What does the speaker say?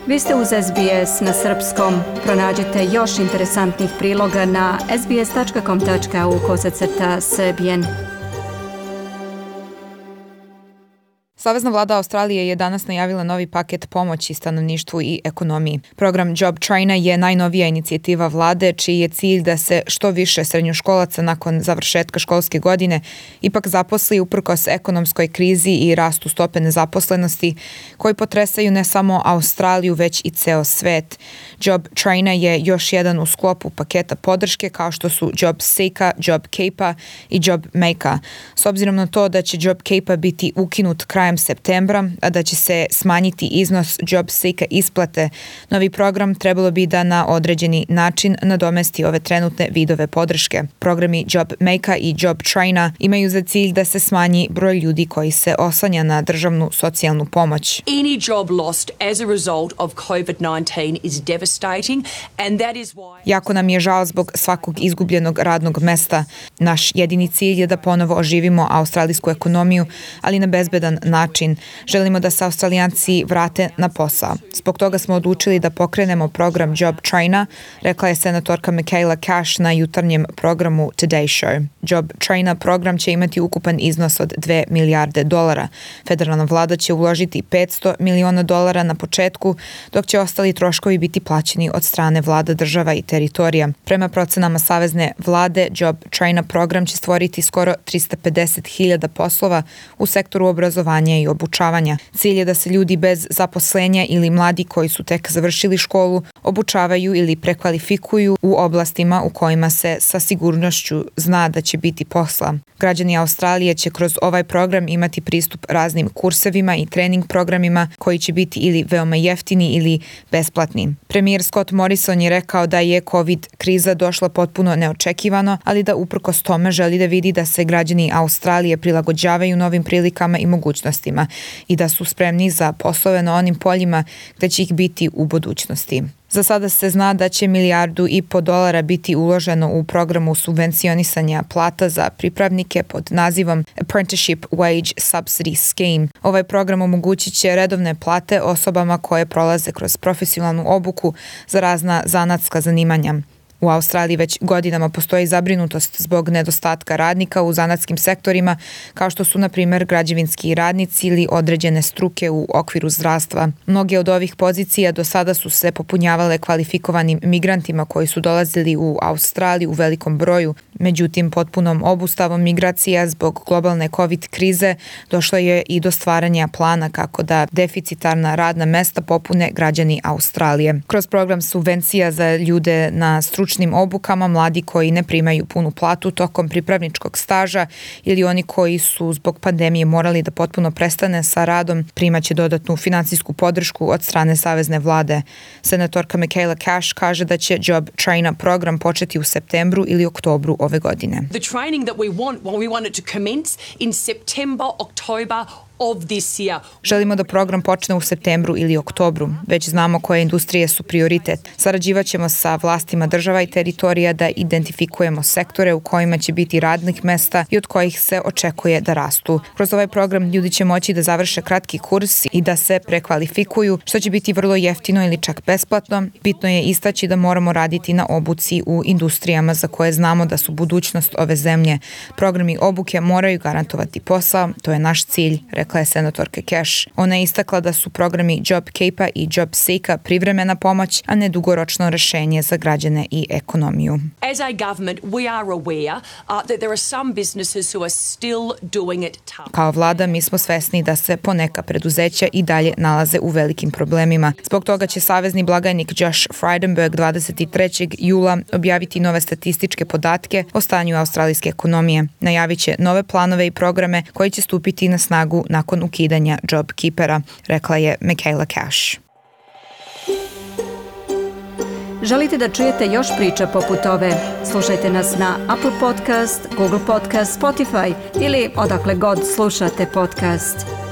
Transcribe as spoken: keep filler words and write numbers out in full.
Vi ste uz S B S na srpskom. Pronađite još interesantnih priloga na sbs.com.au kosacrta srbijen. Savezna vlada Australije je danas najavila novi paket pomoći stanovništvu i ekonomiji. Program Job Trainer je najnovija inicijativa vlade čiji je cilj da se što više srednjoškolaca nakon završetka školske godine ipak zaposli uprkos ekonomskoj krizi i rastu stope nezaposlenosti koji potresaju ne samo Australiju već i ceo svet. Job Trainer je još jedan u sklopu paketa podrške kao što su Job Seeker, Job Keeper i Job Maker. S obzirom na to da će Job Keeper biti ukinut krajem septembra, a da će se smanjiti iznos Job Seeker isplate, novi program trebalo bi da na određeni način nadomesti ove trenutne vidove podrške. Programi Job Maker i Job Trainer imaju za cilj da se smanji broj ljudi koji se oslanja na državnu socijalnu pomoć. Any job lost as a result of covid nineteen is devastating and that is why... Jako nam je žao zbog svakog izgubljenog radnog mesta. Naš jedini cilj je da ponovo oživimo australijsku ekonomiju, ali na bezbedan način. Želimo da se Australijanci vrate na posao. Zbog toga smo odlučili da pokrenemo program Job Trainer, rekla je senatorka Michaela Cash na jutarnjem programu Today Show. Job Trainer program će imati ukupan iznos od dve milijarde dolara. Federalna vlada će uložiti petsto miliona dolara na početku, dok će ostali troškovi biti plaćeni od strane vlada država i teritorija. Prema procenama savezne vlade, Job Trainer program će stvoriti skoro trista pedeset hiljada poslova u sektoru obrazovanja i obučavanja. Cilj je da se ljudi bez zaposlenja ili mladi koji su tek završili školu obučavaju ili prekvalifikuju u oblastima u kojima se sa sigurnošću zna da će biti posla. Građani Australije će kroz ovaj program imati pristup raznim kursevima i trening programima koji će biti ili veoma jeftini ili besplatni. Premijer Scott Morrison je rekao da je COVID kriza došla potpuno neočekivano, ali da uprkos tome želi da vidi da se građani Australije prilagođavaju novim prilikama i mogućnostima i da su spremni za poslove na onim poljima gde će ih biti u budućnosti. Za sada se zna da će milijardu i po dolara biti uloženo u programu subvencionisanja plata za pripravnike pod nazivom Apprenticeship Wage Subsidy Scheme. Ovaj program omogućit će redovne plate osobama koje prolaze kroz profesionalnu obuku za razna zanatska zanimanja. U Australiji već godinama postoji zabrinutost zbog nedostatka radnika u zanatskim sektorima, kao što su, na primjer, građevinski radnici ili određene struke u okviru zdravstva. Mnoge od ovih pozicija do sada su se popunjavale kvalifikovanim migrantima koji su dolazili u Australiju u velikom broju. Međutim, potpunom obustavom migracija zbog globalne COVID krize došlo je i do stvaranja plana kako da deficitarna radna mesta popune građani Australije. Kroz program subvencija za ljude na stručnim obukama, mladi koji ne primaju punu platu tokom pripravničkog staža ili oni koji su zbog pandemije morali da potpuno prestane sa radom, primaće dodatnu finansijsku podršku od strane savezne vlade. Senatorka Michaela Cash kaže da će Job Trainer program početi u septembru ili oktobru ove godine. The training that we want, well, we want it to commence in September, October of this year. Želimo da program počne u septembru ili oktobru. Već znamo koje industrije su prioritet. Sarađivaćemo sa vlastima država i teritorija da identifikujemo sektore u kojima će biti radnih mesta i od kojih se očekuje da rastu. Kroz ovaj program ljudi će moći da završe kratki kurs i da se prekvalifikuju, što će biti vrlo jeftino ili čak besplatno. Bitno je istaći da moramo raditi na obuci u industrijama za koje znamo da su budućnost ove zemlje. Programi obuke moraju garantovati posao, to je naš cilj, rekla je senatorka Cash. Ona je istakla da su programi Job Keeper i Job Seeker privremena pomoć, a ne dugoročno rešenje za građane i ekonomiju. As a government, we are aware uh, that there are some businesses who are still doing it tough. Kao vlada mi smo svesni da se poneka preduzeća i dalje nalaze u velikim problemima. Zbog toga će savezni blagajnik Josh Frydenberg dvadeset trećeg jula objaviti nove statističke podatke o stanju australijske ekonomije. Najavit će nove planove i programe koji će stupiti na snagu nakon ukidanja Job Keepera, rekla je Michaela Cash. Želite da čujete još priča poput ove? Slušajte nas na Apple Podcast, Google Podcast, Spotify ili odakle god slušate podcast.